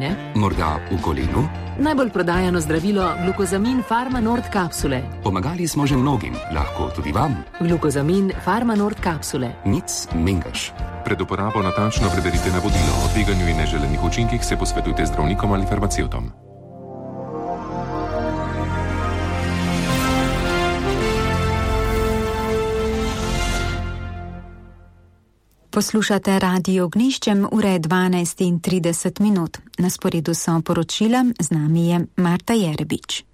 Ne? Morda v kolenu? Najbolj prodajano zdravilo Glukozamin Pharma Nord kapsule. Pomagali smo že mnogim, lahko tudi vam. Glukozamin Pharma Nord kapsule. Nic mengaš. Pred uporabo natančno preberite navodilo. O tveganju in neželenih učinkih se posvetujte zdravnikom ali farmacevtom. Poslušate Radio Ognjišče, ure 12:30. Na sporedu so poročila, z nami je Marta Jerebič.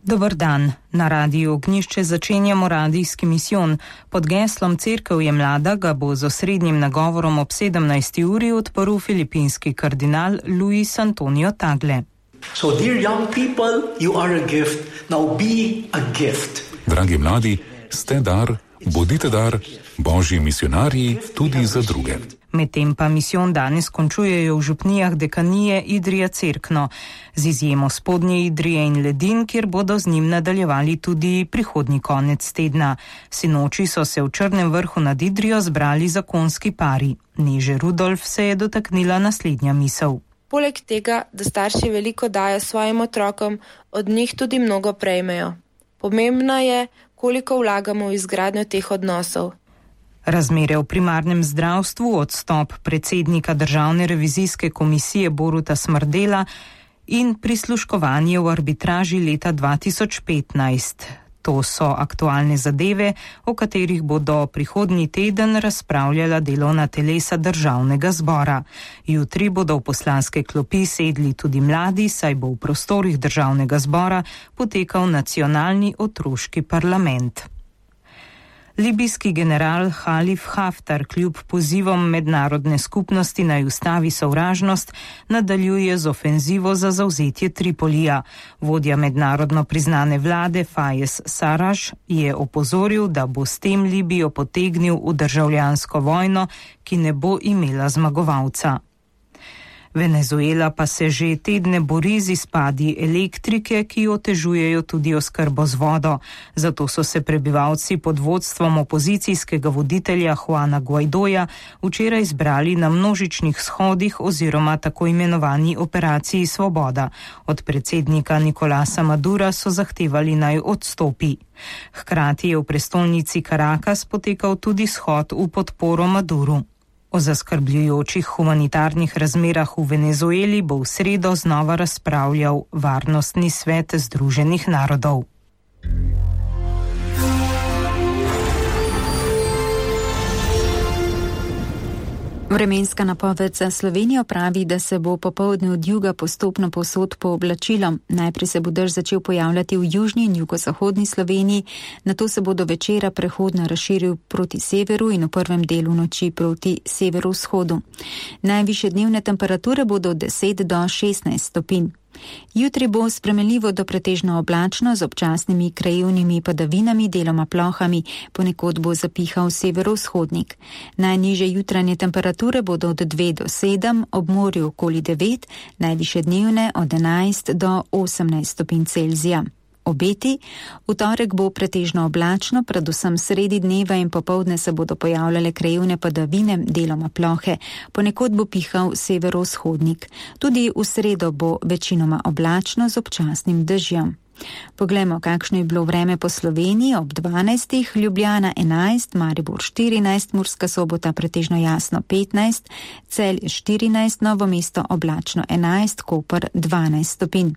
Dober dan. Na Radiu Ognjišče začenjamo radijski misijon. Pod geslom Cerkev je mlada ga bo z osrednjim nagovorom ob 17. uri odprl filipinski kardinal Luis Antonio Tagle. So dear young people, you are a gift. Now be a gift. Dragi mladi, ste dar, bodite dar, božji misionarji tudi za druge. Medtem pa misijon danes končujejo v župnijah dekanije Idrija-Cerkno, z izjemo Spodnje Idrije in Ledin, kjer bodo z njim nadaljevali tudi prihodnji konec tedna. Sinoči so se v Črnem Vrhu nad Idrijo zbrali zakonski pari. Neže Rudolf se je dotaknila naslednja misel. Poleg tega, da starši veliko dajo svojim otrokom, od njih tudi mnogo prejmejo. Pomembno je, koliko vlagamo v izgradnjo teh odnosov. Razmere v primarnem zdravstvu, odstop predsednika Državne revizijske komisije Boruta Smrdela in prisluškovanje v arbitraži leta 2015. To so aktualne zadeve, o katerih bodo prihodnji teden razpravljala delovna telesa Državnega zbora. Jutri bodo v poslanske klopi sedli tudi mladi, saj bo v prostorih Državnega zbora potekal nacionalni otroški parlament. Libijski general Halif Haftar kljub pozivom mednarodne skupnosti naj ustavi sovražnost nadaljuje z ofenzivo za zavzetje Tripolija. Vodja mednarodno priznane vlade Fayez Sarraj je opozoril, da bo s tem Libijo potegnil v državljansko vojno, ki ne bo imela zmagovalca. Venezuela pa se že tedne bori z izpadi elektrike, ki otežujejo tudi oskrbo z vodo. Zato so se prebivalci pod vodstvom opozicijskega voditelja Juana Guaidoja včeraj zbrali na množičnih shodih oziroma tako imenovani operaciji Svoboda. Od predsednika Nicolasa Madura so zahtevali naj odstopi. Hkrati je v prestolnici Caracas potekal tudi shod v podporo Maduru. O zaskrbljujočih humanitarnih razmerah v Venezueli bo v sredo znova razpravljal Varnostni svet Združenih narodov. Vremenska napoved za Slovenijo pravi, da se bo popoldne od juga postopno povsod pooblačilo. Najprej se bo dež začel pojavljati v južni in jugozahodni Sloveniji, nato se bo do večera prehodno razširil proti severu in v prvem delu noči proti severovzhodu. Najvišje dnevne temperature bodo od 10 do 16 stopinj. Jutri bo spremenljivo do pretežno oblačno z občasnimi krajevnimi padavinami, deloma plohami, ponekod bo zapihal severovzhodnik. Najnižje jutranje temperature bodo od 2 do 7, ob morju okoli 9, najvišje dnevne od 11 do 18 stopinj Celzija. Obeti. V torek bo pretežno oblačno, predvsem sredi dneva in popoldne se bodo pojavljale krajevne padavine, deloma plohe, ponekod bo pihal severovzhodnik. Tudi v sredo bo večinoma oblačno z občasnim dežjem. Poglejmo, kakšno je bilo vreme po Sloveniji ob 12. Ljubljana 11, Maribor 14, Murska Sobota pretežno jasno 15, Celje 14, Novo mesto oblačno 11, Koper 12 stopinj.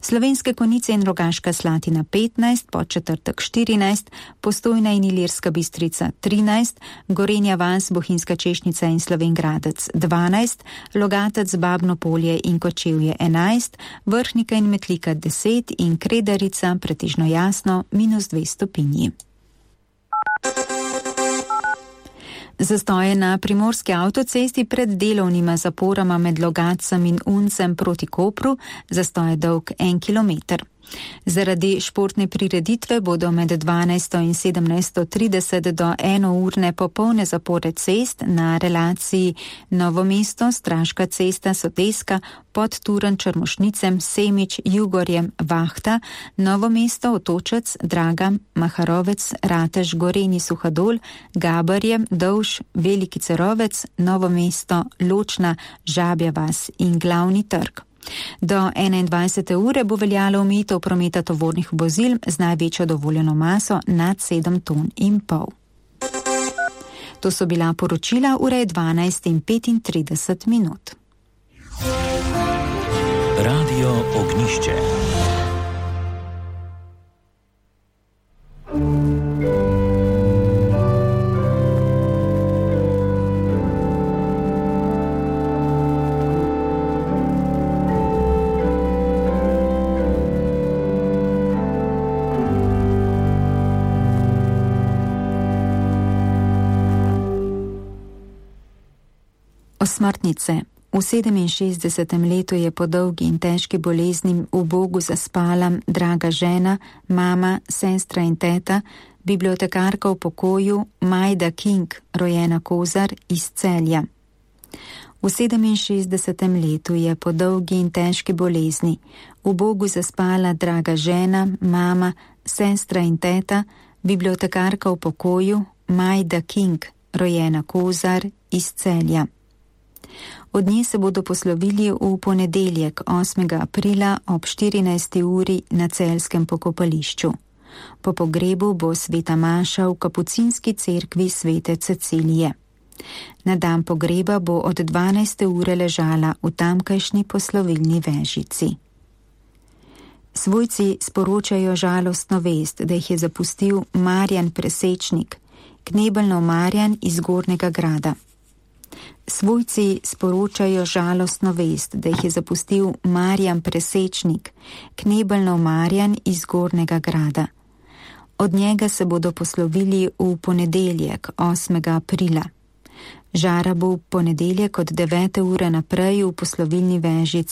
Slovenske Konjice in Rogaška Slatina 15, Podčetrtek 14, Postojna in Ilirska Bistrica 13, Gorenja vas, Bohinjska Češnica in Slovenj Gradec 12, Logatec, Babno Polje in Kočevje 11, Vrhnika in Metlika 10 in Kredarica pretežno jasno -2 stopinji. Zastoje na primorski avtocesti pred delovnima zaporama med Logatcem in Uncem proti Kopru, zastoj dolg 1 kilometer. Zaradi športne prireditve bodo med 12. in 17.30 do 1-urne popolne zapore cest na relaciji Novo mesto, Straška cesta, Soteska, pod Turan, Črmošnicem, Semič, Jugorjem, Vahta, Novo mesto, Otočec, Draga, Maharovec, Ratež, Gorenji, Suhadol, Gabarje, Dovž, Veliki Cerovec, Novo mesto, Ločna, Žabja vas in Glavni trg. Do 21. ure bo veljalo omejitev prometa tovornih vozil z največjo dovoljeno maso nad 7,5 ton. To so bila poročila, ura je 12:35. Radio Ognišče. Osmrtnice. V 67. letu je po dolgi in težki bolezni v Bogu zaspala draga žena, mama, sestra in teta, bibliotekarka v pokoju Majda King, rojena Kozar iz Celja. V 67. letu je po dolgi in težki bolezni v Bogu zaspala draga žena, mama, sestra in teta, bibliotekarka v pokoju Majda King, rojena Kozar iz Celja. Od nje se bodo poslovili v ponedeljek 8. aprila ob 14. uri na celjskem pokopališču. Po pogrebu bo sveta maša v kapucinski cerkvi svete Cecilije. Na dan pogreba bo od 12. ure ležala v tamkajšnji poslovilni vežici. Svojci sporočajo žalostno vest, da jih je zapustil Marjan Presečnik, knebelno Marjan iz Gornjega Grada. Svojci sporočajo žalostno vest, da jih je zapustil Marjan Presečnik, knebelno Marjan iz Gornjega Grada. Od njega se bodo poslovili v ponedeljek 8. aprila. Žara bo v ponedeljek od 9. ure naprej v poslovilni vežici